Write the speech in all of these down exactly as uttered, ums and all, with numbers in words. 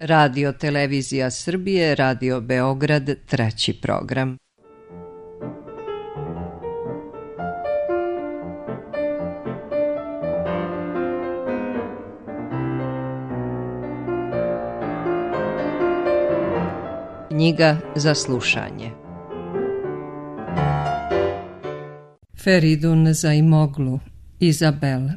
Radio Televizija Srbije, Radio Beograd, treći program. Knjiga za slušanje. Feridun Zaimoglu, Izabel.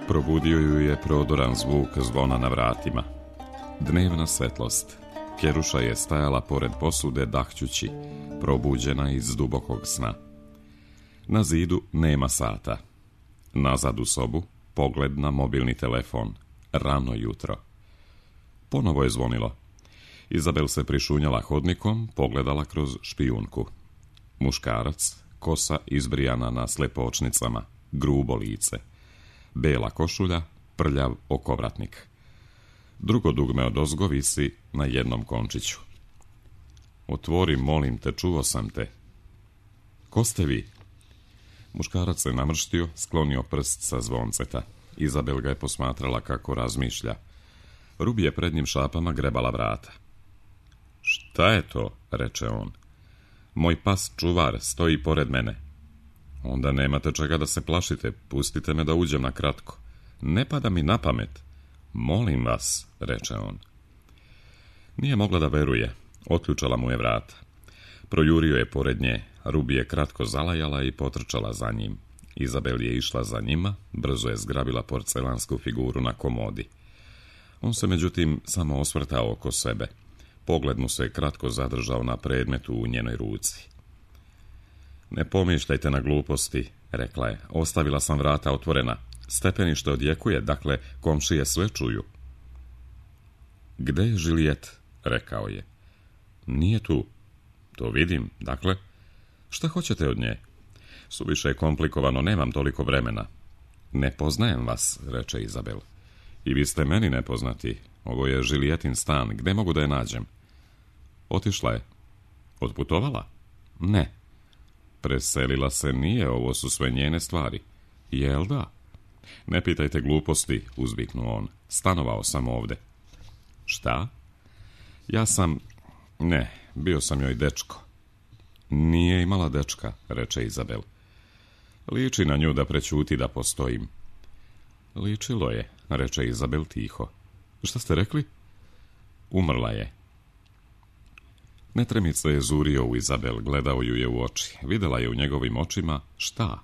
Probudio ju je prodoran zvuk zvona na vratima. Dnevna svetlost. Kjeruša je stajala pored posude dahćući, probuđena iz dubokog sna. Na zidu nema sata. Nazad u sobu, pogled na mobilni telefon. Rano jutro. Ponovo je zvonilo. Izabel se prišunjala hodnikom, pogledala kroz špijunku. Muškarac, kosa izbrijana na slepočnicama, grubo lice. Bela košulja, prljav okovratnik. Drugo dugme odozgo visi na jednom končiću. Otvori, molim te, čuo sam te. Ko ste vi? Muškarac se namrštio, sklonio prst sa zvonceta. Izabel ga je posmatrala kako razmišlja. Rubi je pred njim šapama grebala vrata. Šta je to, reče on. Moj pas čuvar stoji pored mene. Onda nemate čega da se plašite, pustite me da uđem na kratko. Ne pada mi na pamet. Molim vas, reče on. Nije mogla da veruje, otključala mu je vrata. Projurio je pored nje, Rubi je kratko zalajala i potrčala za njim. Izabel je išla za njima, brzo je zgrabila porcelansku figuru na komodi. On se međutim samo osvrtao oko sebe. Pogled mu se kratko zadržao na predmetu u njenoj ruci. Ne pomišljajte na gluposti, rekla je. Ostavila sam vrata otvorena. Stepenište odjekuje, dakle komšije sve čuju. Gde je Žilijet? Rekao je. Nije tu. To vidim, dakle. Šta hoćete od nje? Suviše je komplikovano, nemam toliko vremena. Ne poznajem vas, reče Izabel. I vi ste meni nepoznati. Ovo je Žilijetin stan, gde mogu da je nađem? Otišla je. Otputovala? Ne. Preselila se nije, ovo su sve njene stvari. Jel da? Ne pitajte gluposti, uzviknuo on. Stanovao sam ovde. Šta? Ja sam... Ne, bio sam joj dečko. Nije imala dečka, reče Izabel. Liči na nju da prećuti da postojim. Ličilo je, reče Izabel tiho. Šta ste rekli? Umrla je. Netremica je zurio u Izabel, gledao ju je u oči. Videla je u njegovim očima šta?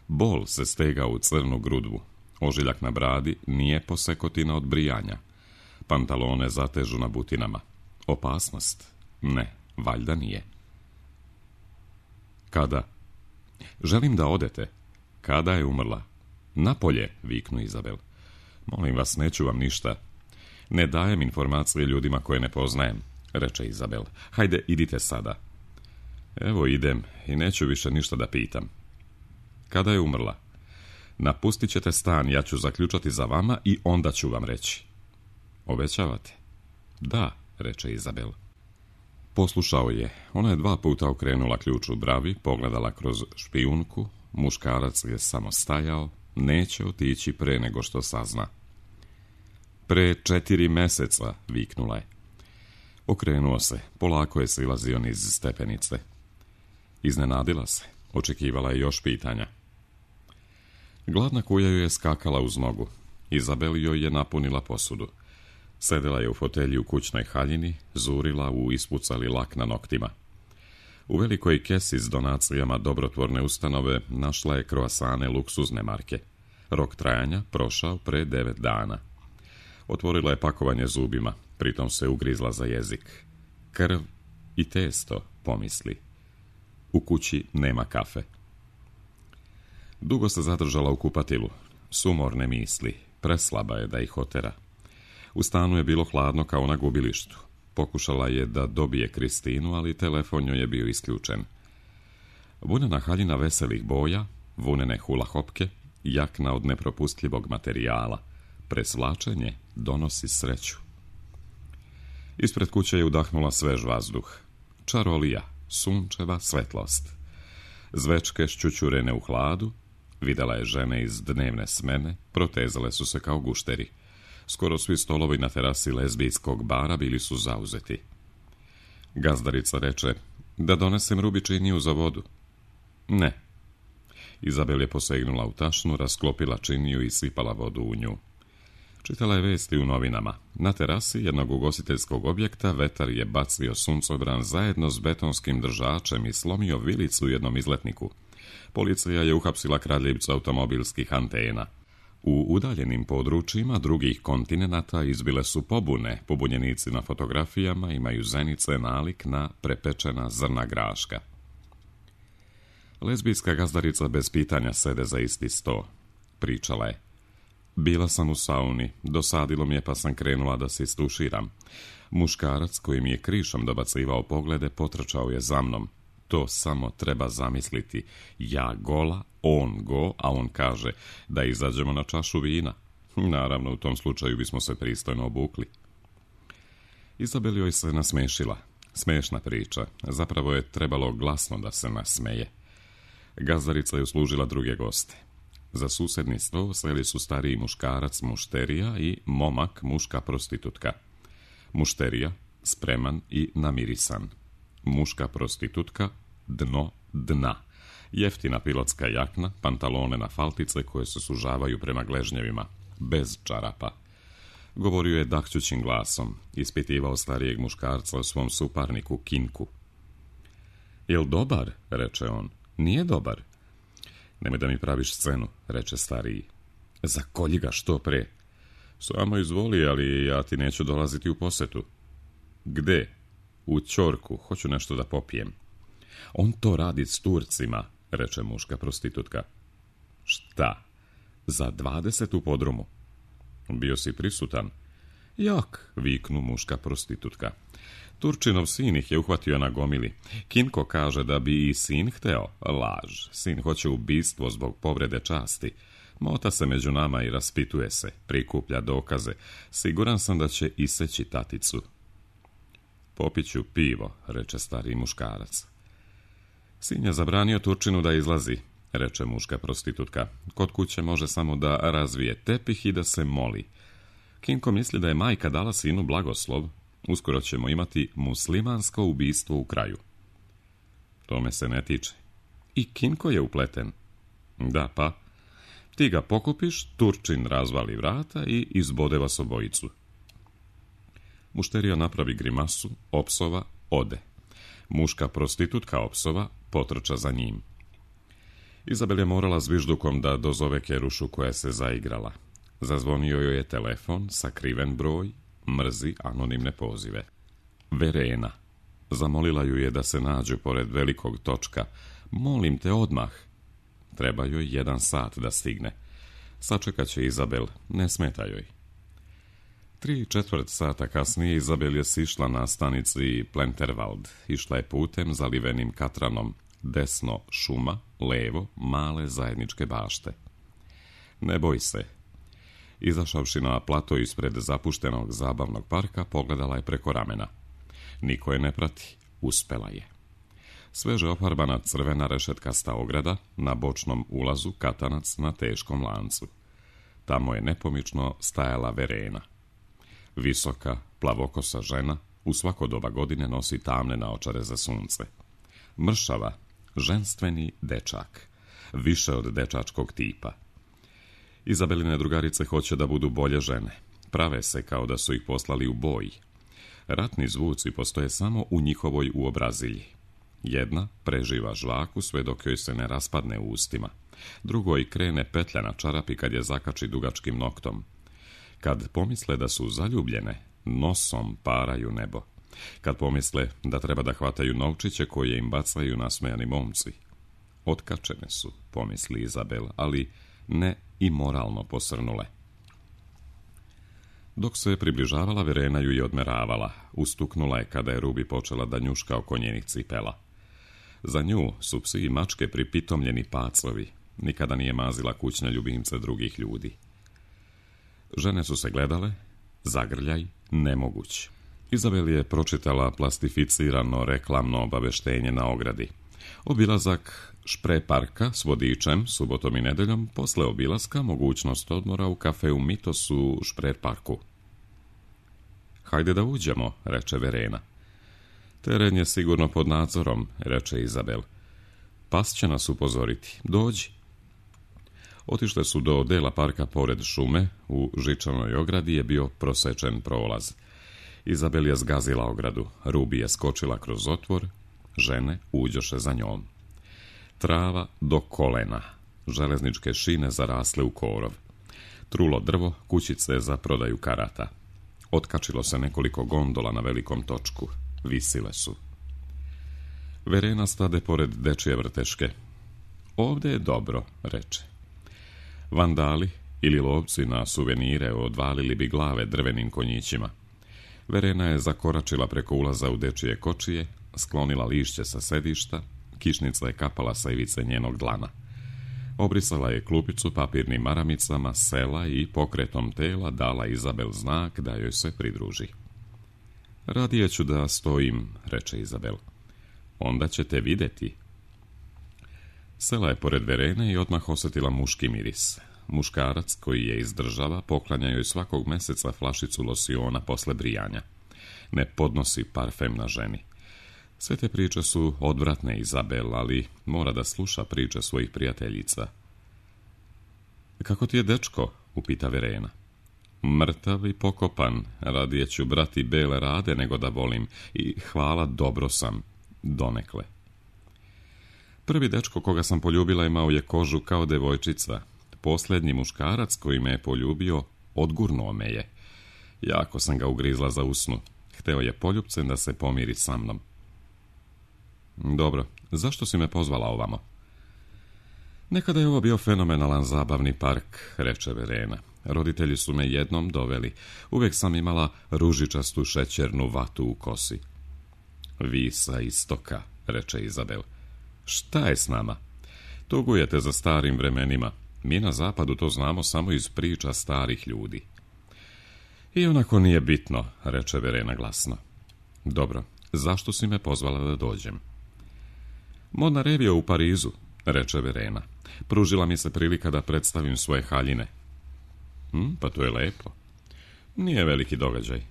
Bol se stegao u crnu grudvu. Ožiljak na bradi nije posekotina od brijanja. Pantalone zatežu na butinama. Opasnost? Ne, valjda nije. Kada? Želim da odete. Kada je umrla? Napolje, viknu Izabel. Molim vas, neću vam ništa. Ne dajem informacije ljudima koje ne poznajem, reče Izabel. Hajde, idite sada. Evo idem i neću više ništa da pitam. Kada je umrla? Napustit ćete stan, ja ću zaključati za vama i onda ću vam reći. Obećavate? Da, reče Izabel. Poslušao je. Ona je dva puta okrenula ključ u bravi, pogledala kroz špijunku. Muškarac je samo stajao, neće otići pre nego što sazna. Pre četiri meseca, viknula je. Okrenuo se, polako je silazio niz stepenice. Iznenadila se, očekivala je još pitanja. Gladna kuja joj je skakala uz nogu. Izabel joj je napunila posudu. Sedela je u fotelji u kućnoj haljini, zurila u ispucali lak na noktima. U velikoj kesi s donacijama dobrotvorne ustanove našla je kroasane luksuzne marke. Rok trajanja prošao pre devet dana. Otvorila je pakovanje zubima, pritom se ugrizla za jezik. Krv i testo, pomisli. U kući nema kafe. Dugo se zadržala u kupatilu. Sumorne misli, preslaba je da ih otera. U stanu je bilo hladno kao na gubilištu. Pokušala je da dobije Kristinu, ali telefon joj je bio isključen. Vunena haljina veselih boja, vunene hula hopke, jakna od nepropustljivog materijala. Presvlačenje donosi sreću. Ispred kuće je udahnula svež vazduh. Čarolija, sunčeva svetlost. Zvečke šćućurene u hladu, videla je žene iz dnevne smene, protezale su se kao gušteri. Skoro svi stolovi na terasi lezbijskog bara bili su zauzeti. Gazdarica reče, da donesem rubi činiju za vodu. Ne. Izabel je posegnula u tašnu, rasklopila činiju i sipala vodu u nju. Čitala je vesti u novinama. Na terasi jednog ugostiteljskog objekta vetar je bacio suncobran zajedno s betonskim držačem i slomio vilicu u jednom izletniku. Policija je uhapsila kradljivca automobilskih antena. U udaljenim područjima drugih kontinenata izbile su pobune. Pobunjenici na fotografijama imaju zenice nalik na prepečena zrna graška. Lezbijska gazdarica bez pitanja sede za isti sto. Pričala je. Bila sam u sauni, dosadilo mi je pa sam krenula da se istuširam. Muškarac koji mi je krišom dobacivao poglede potrčao je za mnom. To samo treba zamisliti. Ja gola, on go, a on kaže da izađemo na čašu vina. Naravno, u tom slučaju bismo se pristojno obukli. Izabel joj se nasmešila. Smešna priča. Zapravo je trebalo glasno da se nasmeje. Gazdarica je uslužila druge goste. Za susedni sto seli su stariji muškarac mušterija i momak muška prostitutka. Mušterija, spreman i namirisan. Muška prostitutka, dno dna. Jeftina pilotska jakna, pantalone na faltice koje se sužavaju prema gležnjevima, bez čarapa. Govorio je dahćućim glasom, ispitivao starijeg muškarca o svom suparniku Kinku. Jel dobar, reče on. Nije dobar. Nemoj da mi praviš scenu, reče stariji. Zakolji ga što pre. Samo izvoli, ali ja ti neću dolaziti u posetu. Gde? U ćorku, hoću nešto da popijem. On to radi s Turcima, reče muška prostitutka. Šta? Za dvadeset u podrumu. Bio si prisutan? Jak, viknu muška prostitutka. Turčinov sin ih je uhvatio na gomili. Kinko kaže da bi i sin hteo. Laž. Sin hoće ubistvo zbog povrede časti. Mota se među nama i raspituje se. Prikuplja dokaze. Siguran sam da će iseći taticu. Popiću pivo, reče stari muškarac. Sin je zabranio Turčinu da izlazi, reče muška prostitutka. Kod kuće može samo da razvije tepih i da se moli. Kinko misli da je majka dala sinu blagoslov. Uskoro ćemo imati muslimansko ubistvo u kraju. To me se ne tiče. I Kinko je upleten. Da, pa. Ti ga pokupiš, Turčin razvali vrata i izbode vas obojicu. Mušterija napravi grimasu, opsova, ode. Muška prostitutka opsova potrča za njim. Izabel je morala zviždukom da dozove Kerušu koja se zaigrala. Zazvonio joj je telefon, sakriven broj, mrzi anonimne pozive. Verena. Zamolila ju je da se nađu pored velikog točka. Molim te odmah. Treba joj jedan sat da stigne. Sačekat će Izabel, ne smeta joj. Tri četvrt sata kasnije Izabel je sišla na stanici Plenterwald. Išla je putem zalivenim katranom. Desno šuma, levo male zajedničke bašte. Ne boj se. Izašavši na plato ispred zapuštenog zabavnog parka, pogledala je preko ramena. Niko je ne prati. Uspela je. Sveže ofarbana crvena rešetkasta ograda, na bočnom ulazu katanac na teškom lancu. Tamo je nepomično stajala Verena. Visoka, plavokosa žena, u svako doba godine nosi tamne naočare za sunce. Mršava, ženstveni dečak, više od dečačkog tipa. Izabeline drugarice hoće da budu bolje žene. Prave se kao da su ih poslali u boj. Ratni zvuci postoje samo u njihovoj uobrazilji. Jedna preživa žvaku sve dok joj se ne raspadne u ustima. Drugoj krene petlja na čarapi kad je zakači dugačkim noktom. Kad pomisle da su zaljubljene, nosom paraju nebo. Kad pomisle da treba da hvataju novčiće koje im bacaju nasmejani momci. Otkačene su, pomisli Izabel, ali ne i moralno posrnule. Dok se približavala, Verena ju je odmeravala. Ustuknula je kada je Rubi počela da njuška oko njenih cipela. Za nju su psi i mačke pripitomljeni pacovi. Nikada nije mazila kućne ljubimce drugih ljudi. Žene su se gledale, zagrljaj, nemoguć. Izabel je pročitala plastificirano reklamno obaveštenje na ogradi. Obilazak Špre parka s vodičem, subotom i nedeljom, posle obilaska mogućnost odmora u kafeu Mitos u Šprer parku. Hajde da uđemo, reče Verena. Teren je sigurno pod nadzorom, reče Izabel. Pas će nas upozoriti. Dođi. Otišle su do dela parka pored šume, u žičanoj ogradi je bio prosečen prolaz. Izabel je zgazila ogradu, Rubi je skočila kroz otvor, žene uđoše za njom. Trava do kolena, železničke šine zarasle u korov. Trulo drvo, kućice za prodaju karata. Otkačilo se nekoliko gondola na velikom točku, visile su. Verena stade pored dečije vrteške. Ovde je dobro, reče. Vandali ili lovci na suvenire odvalili bi glave drvenim konjićima. Verena je zakoračila preko ulaza u dečije kočije, sklonila lišće sa sedišta, kišnica je kapala sa ivice njenog dlana. Obrisala je klupicu papirnim maramicama, sela i pokretom tela dala Izabel znak da joj se pridruži. Radije ću da stojim, reče Izabel. Onda ćete videti. Sela je pored Verene i odmah osjetila muški miris. Muškarac koji je izdržava poklanja joj svakog meseca flašicu losiona posle brijanja. Ne podnosi parfem na ženi. Sve te priče su odvratne, Izabel, ali mora da sluša priče svojih prijateljica. Kako ti je dečko? Upita Verena. Mrtav i pokopan, radije ću brati bele rade nego da volim i hvala, dobro sam, donekle. Prvi dečko koga sam poljubila imao je kožu kao devojčica. Posljednji muškarac koji me je poljubio odgurnuo me je. Jako sam ga ugrizla za usnu. Hteo je poljupcem da se pomiri sa mnom. Dobro, zašto si me pozvala ovamo? Nekada je ovo bio fenomenalan zabavni park, reče Verena. Roditelji su me jednom doveli. Uvijek sam imala ružičastu šećernu vatu u kosi. Vi sa istoka, reče Izabel. Šta je s nama? Tugujete za starim vremenima. Mi na zapadu to znamo samo iz priča starih ljudi. I onako nije bitno, reče Verena glasno. Dobro, zašto si me pozvala da dođem? Modna revija u Parizu, reče Verena. Pružila mi se prilika da predstavim svoje haljine. Hm, pa to je lepo. Nije veliki događaj,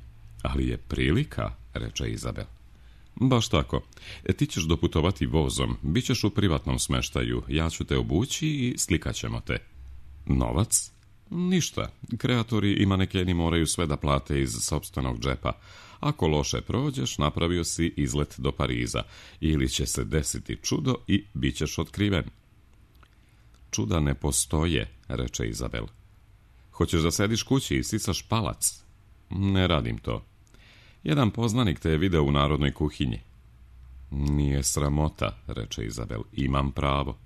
ali je prilika, reče Izabel. Baš tako. E, ti ćeš doputovati vozom, bit ćeš u privatnom smeštaju, ja ću te obući i slikat ćemo te. Novac? Ništa. Kreatori i manekeni moraju sve da plate iz sopstvenog džepa. Ako loše prođeš, napravio si izlet do Pariza. Ili će se desiti čudo i bit ćeš otkriven. Čuda ne postoje, reče Izabel. Hoćeš da sediš kući i sisaš palac? Ne radim to. Jedan poznanik te je video u narodnoj kuhinji. Nije sramota, reče Izabel. Imam pravo.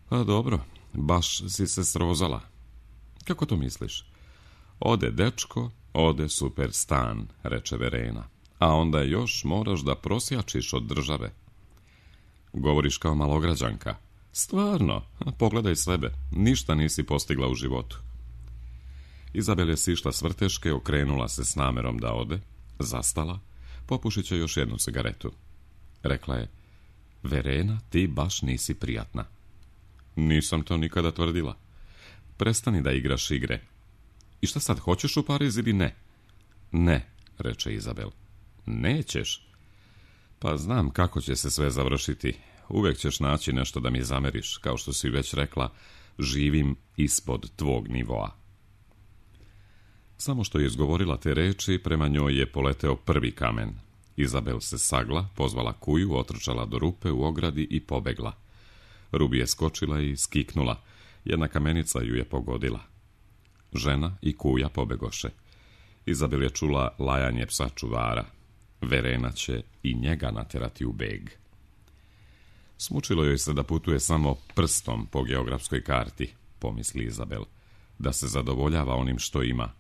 Pa dobro, baš si se srozala. Kako to misliš? Ode dečko, ode super stan, reče Verena. A onda još moraš da prosjačiš od države. Govoriš kao malograđanka. Stvarno, pogledaj sebe, ništa nisi postigla u životu. Izabel je sišla s vrteške, okrenula se s namerom da ode, zastala, popušit će još jednu cigaretu. Rekla je, Verena, ti baš nisi prijatna. Nisam to nikada tvrdila. Prestani da igraš igre. I šta sad, hoćeš u Pariz ili ne? Ne, reče Izabel. Nećeš? Pa znam kako će se sve završiti. Uvijek ćeš naći nešto da mi zameriš, kao što si već rekla, živim ispod tvog nivoa. Samo što je izgovorila te reči, prema njoj je poleteo prvi kamen. Izabel se sagla, pozvala kuju, otrčala do rupe u ogradi i pobegla. Rubi je skočila i skiknula. Jedna kamenica ju je pogodila. Žena i kuja pobegoše. Izabel je čula lajanje psa čuvara. Verena će i njega naterati u beg. Smučilo joj se da putuje samo prstom po geografskoj karti, pomisli Izabel, da se zadovoljava onim što ima.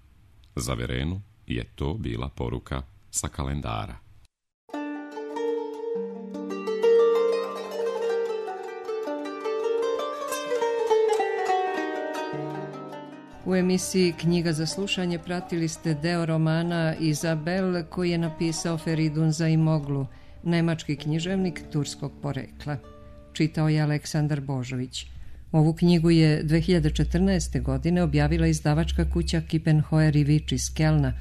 Za Verenu je to bila poruka sa kalendara. U emisiji Knjiga za slušanje pratili ste deo romana Izabel koji je napisao Feridun Zaimoglu, nemački književnik turskog porekla. čitao je Aleksandar Božović. Ovu knjigu je dve hiljade četrnaeste. godine objavila izdavačka kuća Kiepenheuer i Vič iz Kelna,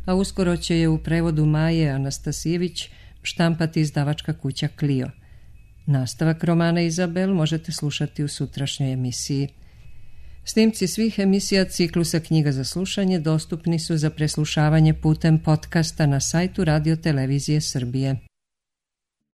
a uskoro će je u prevodu Maje Anastasijević štampati izdavačka kuća Clio. Nastavak romana Izabel možete slušati u sutrašnjoj emisiji. Snimci svih emisija ciklusa Knjiga za slušanje dostupni su za preslušavanje putem podcasta na sajtu Radio Televizije Srbije.